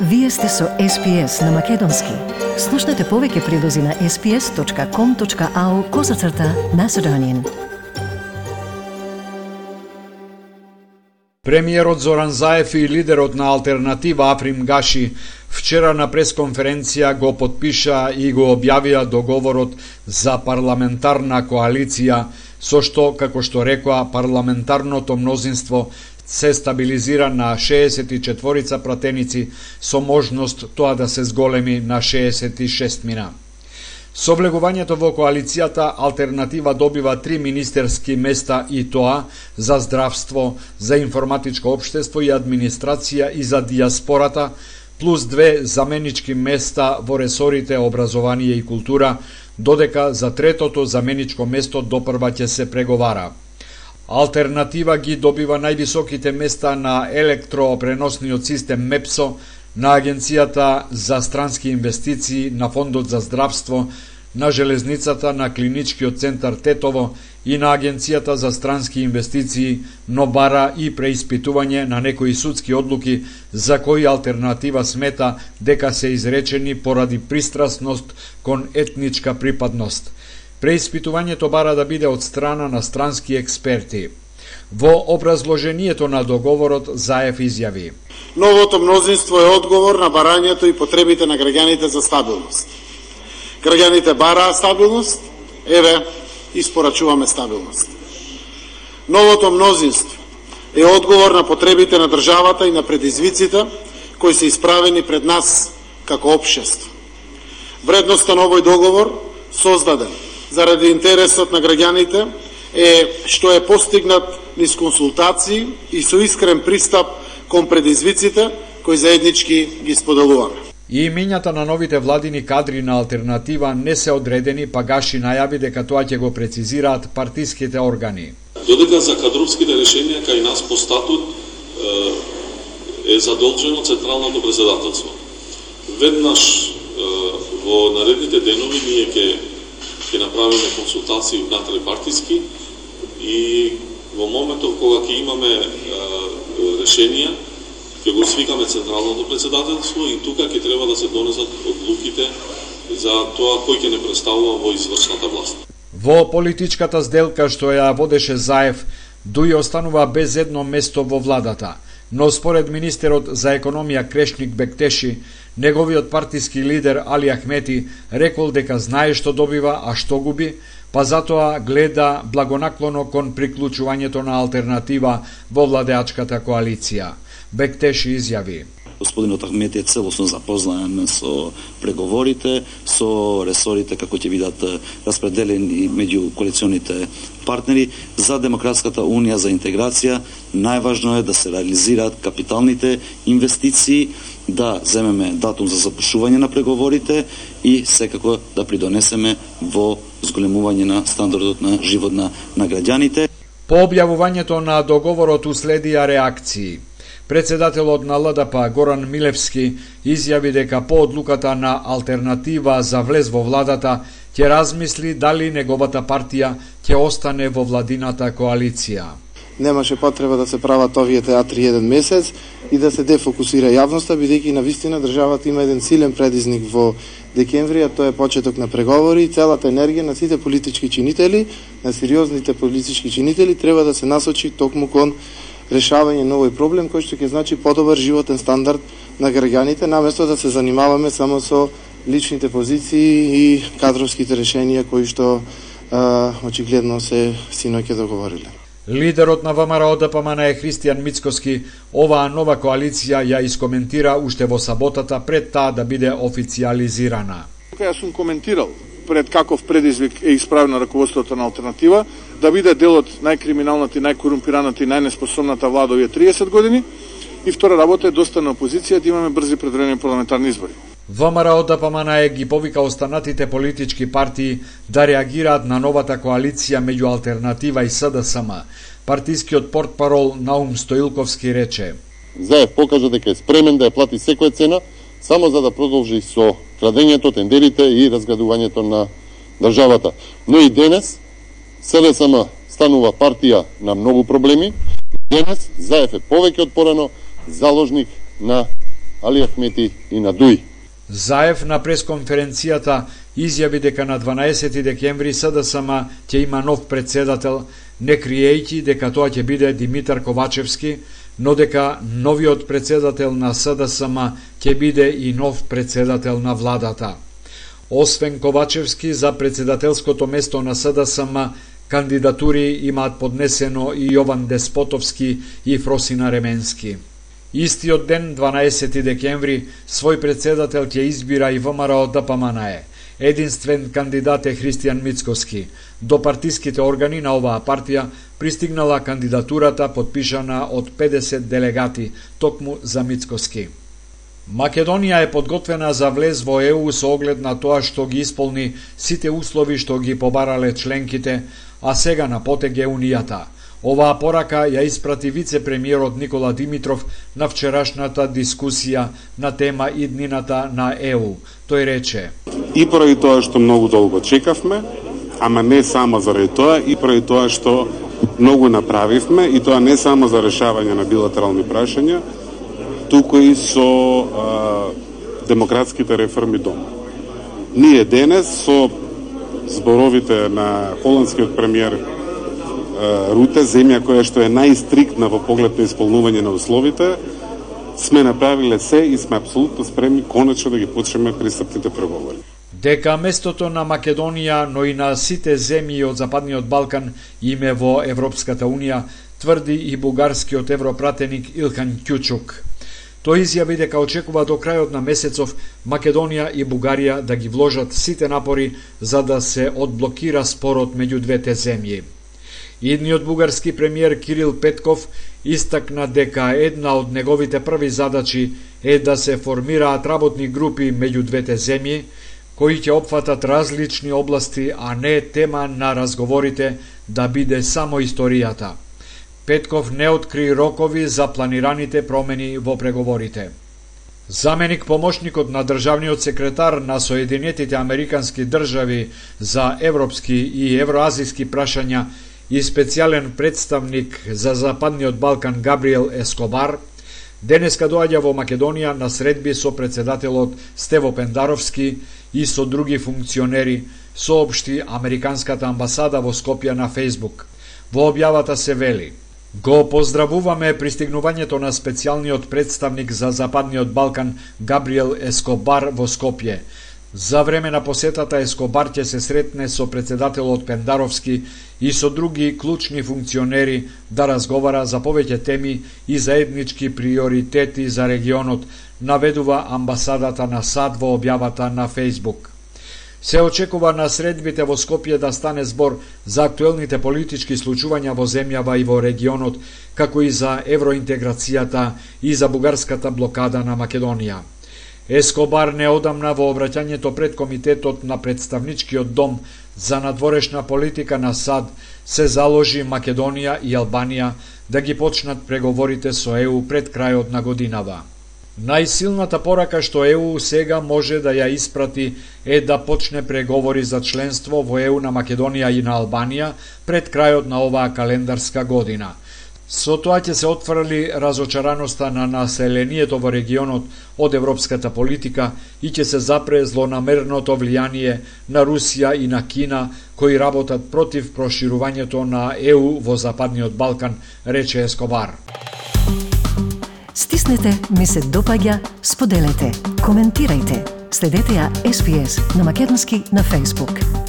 Вие сте со SPS на Македонски. Слушнете повеќе прилози на sps.com.au/Macedonian. Премиерот Зоран Заев и лидерот на Алтернатива Африм Гаши вчера на пресконференција го потпиша и го објавија договорот за парламентарна коалиција, со што, како што рекоа, парламентарното мнозинство се стабилизира на 64 пратеници со можност тоа да се зголеми на 66 мина. Со влегувањето во коалицијата, Алтернатива добива 3 министерски места, и тоа за здравство, за информатичко општество и администрација и за дијаспората, плюс 2 заменички места во ресорите образование и култура, додека за третото заменичко место допрва ќе се преговара. Алтернатива ги добива највисоките места на електропреносниот систем МЕПСО, на Агенцијата за странски инвестиции, на Фондот за здравство, на железницата, на Клиничкиот центар Тетово и на Агенцијата за странски инвестиции, но бара и преиспитување на некои судски одлуки за кои Алтернатива смета дека се изречени поради пристрасност кон етничка припадност. Преиспитувањето бара да биде од страна на странски експерти. Во образложението на договорот Заев изјави: Новото мнозинство е одговор на барањето и потребите на граѓаните за стабилност. Граѓаните бараат стабилност, еве, испорачуваме стабилност. Новото мнозинство е одговор на потребите на државата и на предизвиците кои се исправени пред нас како општество. Вредноста на овој договор, создаден заради интересот на граѓаните, е што е постигнат низ консултации и со искрен пристап кон предизвиците кои заеднички ги споделуваме. И имењата на новите владини кадри на Алтернатива не се одредени, па Гаши најави дека тоа ќе го прецизираат партиските органи. Додека за кадровските решенија кај нас по статут е задолжено Централното председателство. Веднаш во наредните денови ние ќе направиме консултации внатре партиски и во моментов кога ќе имаме решенија, ќе го свикаме Централното председателство и тука ќе треба да се донесат одлуките за тоа кој ќе не представува во извршната власт. Во политичката сделка што ја водеше Заев, Дуј останува без едно место во владата, но според министерот за економија Крешник Бектеши, неговиот партиски лидер Али Ахмети рекол дека знае што добива, а што губи, па затоа гледа благонаклоно кон приклучувањето на Алтернатива во владеачката коалиција. Бектеши изјави: Господинот Ахмети е целосно запознаен со преговорите, со ресорите како ќе бидат распределени меѓу коалиционите партнери. За Демократската унија за интеграција најважно е да се реализираат капиталните инвестиции, да земеме датум за запушување на преговорите и секако да придонесеме во зголемување на стандардот на живот на граѓаните. По објавувањето на договорот уследија реакции. Председателот на ЛДП Горан Милевски изјави дека по одлуката на Алтернатива за влез во владата ќе размисли дали неговата партија ќе остане во владината коалиција. Немаше потреба да се прават овие театри еден месец и да се дефокусира јавноста, бидејќи навистина државата има еден силен предизник во декември, а тоа е почеток на преговори и целата енергија на сите политички чинители, на сериозните политички чинители, треба да се насочи токму кон решавање на овој проблем кој што ќе значи подобар животен стандард на граѓаните, наместо да се занимаваме само со личните позиции и кадровските решенија кои што очигледно се синоќа договориле. Лидерот на ВМРО ДПМН е Христијан Мицкоски оваа нова коалиција ја искоментира уште во саботата пред таа да биде официјализирана. Јас сум коментирал пред каков предизвик е исправено раководството на Алтернатива, да биде дел од најкриминалната и најкорумпираната и најнеспособната влада овие 30 години, и втора работа е доста на опозиција да имаме брзи предварени парламентарни избори. ВМРО ДПМН ги повика останатите политички партии да реагираат на новата коалиција меѓу Алтернатива и СДСМ. Партискиот портпарол Наум Стоилковски рече: Заев покажа дека е спремен да ја плати секоја цена, само за да продолжи со крадењето, тендерите и разградувањето на државата. Но и денес СДСМ станува партија на многу проблеми. Денес Заев е повеќе од порано заложник на Али Ахмети и на Дуи. Заев на пресконференцијата изјави дека на 12 декември СДСМ ќе има нов председател, не криејќи дека тоа ќе биде Димитар Ковачевски, но дека новиот председател на СДСМ ќе биде и нов председател на владата. Освен Ковачевски, за председателското место на СДСМ кандидатури имаат поднесено и Јован Деспотовски и Фросина Ременски. Истиот ден, 12 декември, свој председател ќе избира и ВМРО ДПМНЕ. Единствен кандидат е Христијан Мицкоски. До партиските органи на оваа партија пристигнала кандидатурата подпишана од 50 делегати, токму за Мицкоски. Македонија е подготвена за влез во ЕУ со оглед на тоа што ги исполни сите услови што ги побарале членките, а сега на потег е Унијата. Оваа порака ја испрати вице-премиерот Никола Димитров на вчерашната дискусија на тема иднината на ЕУ. Тој рече: И поради тоа што многу долго чекавме, ама не само заради тоа, и поради тоа што многу направивме, и тоа не само за решавање на билатерални прашања, туку и со демократските реформи дома. Ние денес со зборовите на холандскиот премиер Руте, земја која што е најстриктна во поглед на исполнување на условите, сме направиле се и сме апсолутно спремни конечно да ги почнеме пристапните преговори. Дека местото на Македонија, но и на сите земји од Западниот Балкан им е во Европската Унија, тврди и бугарскиот европратеник Илхан Кјучук. Тој изјави дека очекува до крајот на месецов Македонија и Бугарија да ги вложат сите напори за да се одблокира спорот меѓу двете земји. Идниот бугарски премиер Кирил Петков истакна дека една од неговите први задачи е да се формираат работни групи меѓу двете земји, кои ќе опфатат различни области, а не тема на разговорите да биде само историјата. Петков не откри рокови за планираните промени во преговорите. Заменик помошникот на државниот секретар на Соединетите Американски држави за европски и евроазиски прашања и специјален представник за Западниот Балкан Габриел Ескобар, денеска доаѓа во Македонија на средби со председателот Стево Пендаровски и со други функционери, соопшти Американската амбасада во Скопје на Фејсбук. Во објавата се вели: Го поздравуваме пристигнувањето на специјалниот представник за Западниот Балкан Габриел Ескобар во Скопје. За време на посетата Ескобар ќе се сретне со председателот Пендаровски и со други клучни функционери да разговара за повеќе теми и заеднички приоритети за регионот, наведува амбасадата на САД во објавата на Фејсбук. Се очекува на средбите во Скопје да стане збор за актуелните политички случувања во земјава и во регионот, како и за евроинтеграцијата и за бугарската блокада на Македонија. Ескобар неодамна во обраќањето пред Комитетот на Представничкиот дом за надворешна политика на САД се заложи Македонија и Албанија да ги почнат преговорите со ЕУ пред крајот на годинава. Најсилната порака што ЕУ сега може да ја испрати е да почне преговори за членство во ЕУ на Македонија и на Албанија пред крајот на оваа календарска година. Со тоа ќе се отфрли разочараноста на населението во регионот од европската политика и ќе се запре злонамерното влијание на Русија и на Кина, кои работат против проширувањето на ЕУ во Западниот Балкан, рече Ескобар. Стиснете ми се допаѓа, споделете, коментирајте. Следете ја SPS на македонски на Facebook.